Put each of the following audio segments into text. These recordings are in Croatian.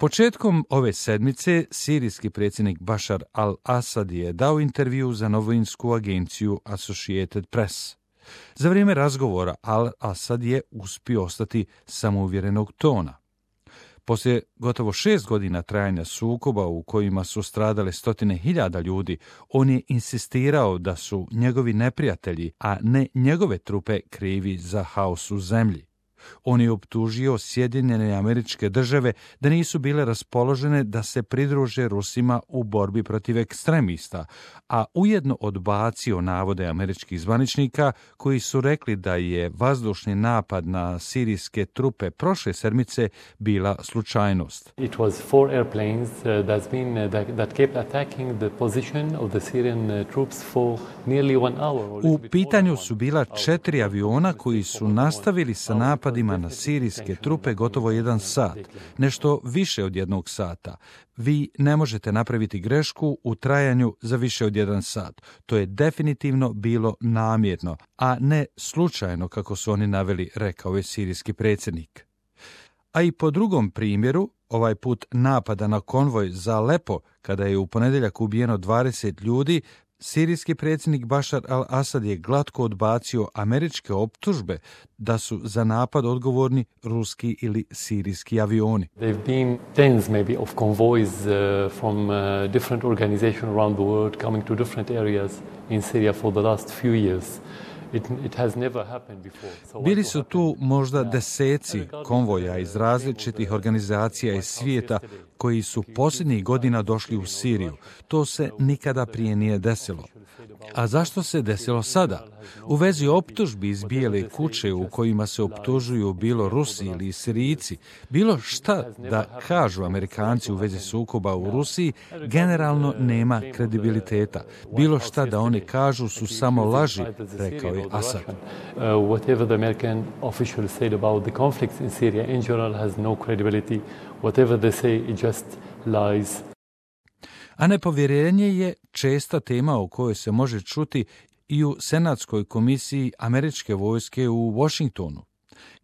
Početkom ove sedmice sirijski predsjednik Bašar al-Asad je dao intervju za novinsku agenciju Associated Press. Za vrijeme razgovora al-Asad je uspio ostati samouvjerenog tona. Poslije gotovo 6 godina trajanja sukoba u kojima su stradale 100.000 ljudi, on je insistirao da su njegovi neprijatelji, a ne njegove trupe krivi za haos u zemlji. On je optužio Sjedinjene Američke Države da nisu bile raspoložene da se pridruže Rusima u borbi protiv ekstremista, a ujedno odbacio navode američkih zvaničnika koji su rekli da je vazdušni napad na sirijske trupe prošle sedmice bila slučajnost. It was 4 airplanes that kept attacking the position of the Syrian troops for nearly 1 hour. U pitanju su bila 4 aviona koji su nastavili sa napadima na sirijske trupe gotovo 1 sat, nešto više od 1 sata. Vi ne možete napraviti grešku u trajanju za više od 1 sat. To je definitivno bilo namjerno, a ne slučajno kako su oni naveli, rekao je sirijski predsjednik. A i po drugom primjeru, ovaj put napada na konvoj za Alepo, kada je u ponedjeljak ubijeno 20 ljudi, sirijski predsjednik Bašar al-Asad je glatko odbacio američke optužbe da su za napad odgovorni ruski ili sirijski avioni. There've been tens maybe of convoys from different organizations around the world coming to different areas in Syria for the last few years. It has never happened before. Bili su tu možda deseci konvoja iz različitih organizacija iz svijeta koji su posljednjih godina došli u Siriju. To se nikada prije nije desilo. A zašto se desilo sada? U vezi optužbi iz Bijele kuće u kojima se optužuju bilo Rusi ili Sirijci, bilo šta da kažu Amerikanci u vezi sukoba u Rusiji, generalno nema kredibiliteta. Bilo šta da oni kažu su samo laži, rekao je Asad. Whatever the American officials said about the conflicts in Syria in general has no credibility. Whatever they say, it just lies. A nepovjerenje je česta tema o kojoj se može čuti i u Senatskoj komisiji američke vojske u Washingtonu.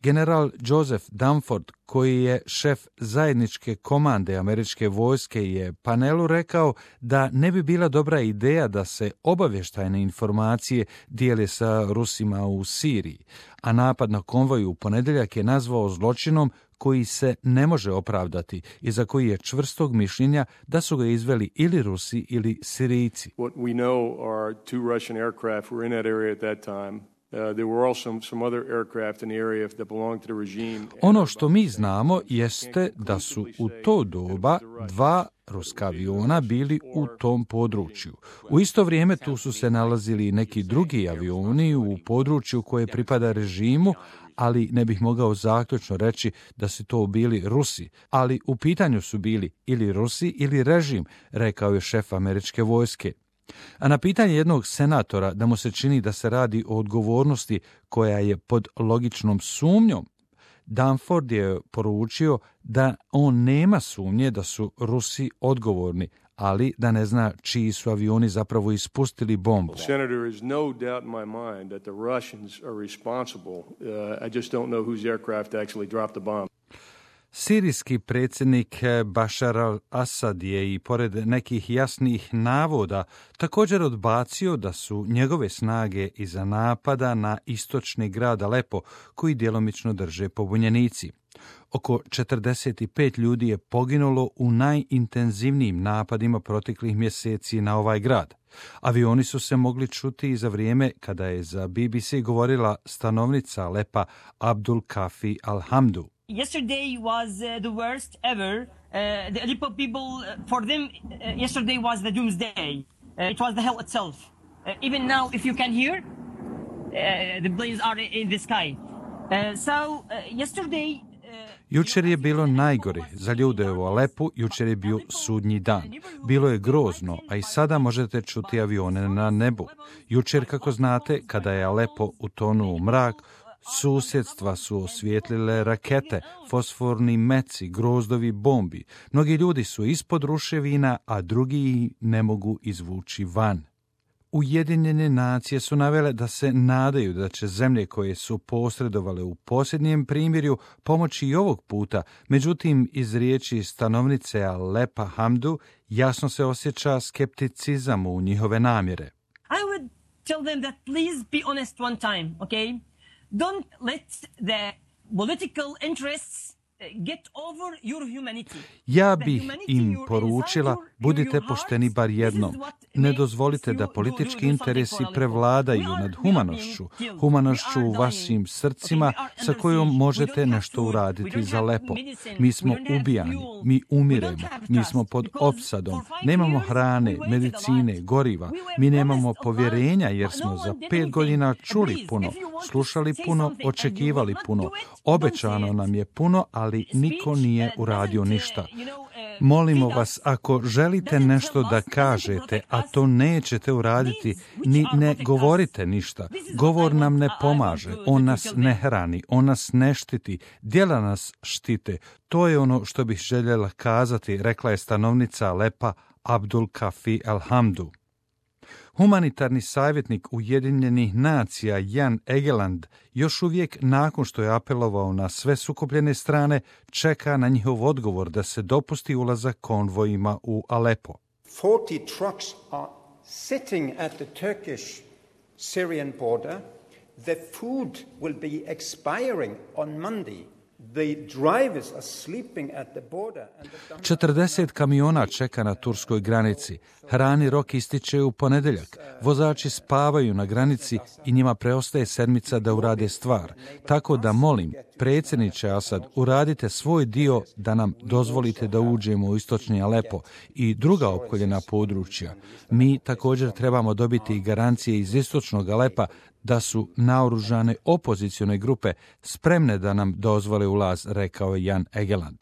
General Joseph Dunford, koji je šef zajedničke komande američke vojske, je panelu rekao da ne bi bila dobra ideja da se obavještajne informacije dijele sa Rusima u Siriji, a napad na konvoj u ponedjeljak je nazvao zločinom koji se ne može opravdati i za koji je čvrstog mišljenja da su ga izveli ili Rusi ili Sirijci. What we know are 2 Russian aircraft were in that area at that time. There were also some other aircraft in the area that belonged to the regime. Ono što mi znamo jeste da su u to doba 2 ruska aviona bili u tom području. U isto vrijeme tu su se nalazili neki drugi avioni u području koje pripada režimu, ali ne bih mogao zaključno reći da su to bili Rusi, ali u pitanju su bili ili Rusi ili režim, rekao je šef američke vojske. A na pitanje jednog senatora da mu se čini da se radi o odgovornosti koja je pod logičnom sumnjom, Dunford je poručio da on nema sumnje da su Rusi odgovorni, ali da ne zna čiji su avioni zapravo ispustili bombu. Senator, there is no doubt in my mind that the Russians are responsible. I just don't know whose aircraft actually dropped the bomb. Sirijski predsjednik Bašar al-Asad je i pored nekih jasnih navoda također odbacio da su njegove snage iza napada na istočni grad Alepo, koji djelomično drže pobunjenici. Oko 45 ljudi je poginulo u najintenzivnijim napadima proteklih mjeseci na ovaj grad. Avioni su se mogli čuti i za vrijeme kada je za BBC govorila stanovnica Alepa Abdul Kafi Alhamdu. Yesterday was the worst ever. The Aleppo people, for them, yesterday was the doomsday. It was the hell itself. Even now, if you can hear, the planes are in the sky. Yesterday... Jučer je bilo najgore za ljude u Alepu, jučer je bio sudnji dan. Bilo je grozno, a i sada možete čuti avione na nebu. Jučer, kako znate, kada je Alepo utonuo u mrak, susjedstva su osvijetlile rakete, fosforni meci, grozdovi bombi. Mnogi ljudi su ispod ruševina, a drugi ne mogu izvući van. Ujedinjene nacije su navele da se nadaju da će zemlje koje su posredovale u posljednjem primirju pomoći i ovog puta, međutim iz riječi stanovnice Alepa Hamdu jasno se osjeća skepticizam u njihove namjere. I would tell them that please be honest one time, okay? Don't let the political interests get over your humanity. Ja bih im poručila, budite pošteni bar jednom. Ne dozvolite da politički interesi prevladaju nad humanošću u vašim srcima sa kojom možete nešto uraditi za Alepo. Mi smo ubijani, mi umiremo, mi smo pod opsadom, nemamo hrane, medicine, goriva, mi nemamo povjerenja jer smo za 5 godina čuli puno, slušali puno, očekivali puno, obećano nam je puno, ali niko nije uradio ništa. Molimo vas, ako želite nešto da kažete, a to nećete uraditi, ni ne govorite ništa. Govor nam ne pomaže, on nas ne hrani, on nas ne štiti, djela nas štite. To je ono što bih željela kazati, rekla je stanovnica Alepa Abdul Kafi Alhamdu. Humanitarni savjetnik Ujedinjenih nacija Jan Egeland još uvijek nakon što je apelovao na sve sukobljene strane čeka na njihov odgovor da se dopusti ulazak konvojima u Alepo. 40 trucks are sitting at the Turkish-Syrian border. The food will be expiring on Monday. The drivers are sleeping at the border. 40 kamiona čeka na turskoj granici. Hrani rok ističe u ponedjeljak. Vozači spavaju na granici i njima preostaje sedmica da urade stvar. Tako da molim, predsjedniče Asad, uradite svoj dio da nam dozvolite da uđemo u istočni Alepo i druga opkoljena područja. Mi također trebamo dobiti garancije iz istočnog Alepa da su naoružane opozicione grupe spremne da nam dozvole ulaz, rekao je Jan Egeland.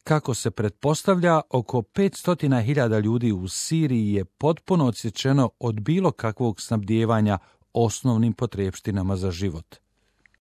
Kako se pretpostavlja, oko 500.000 ljudi u Siriji je potpuno odsječeno od bilo kakvog snabdijevanja osnovnim potrepštinama za život.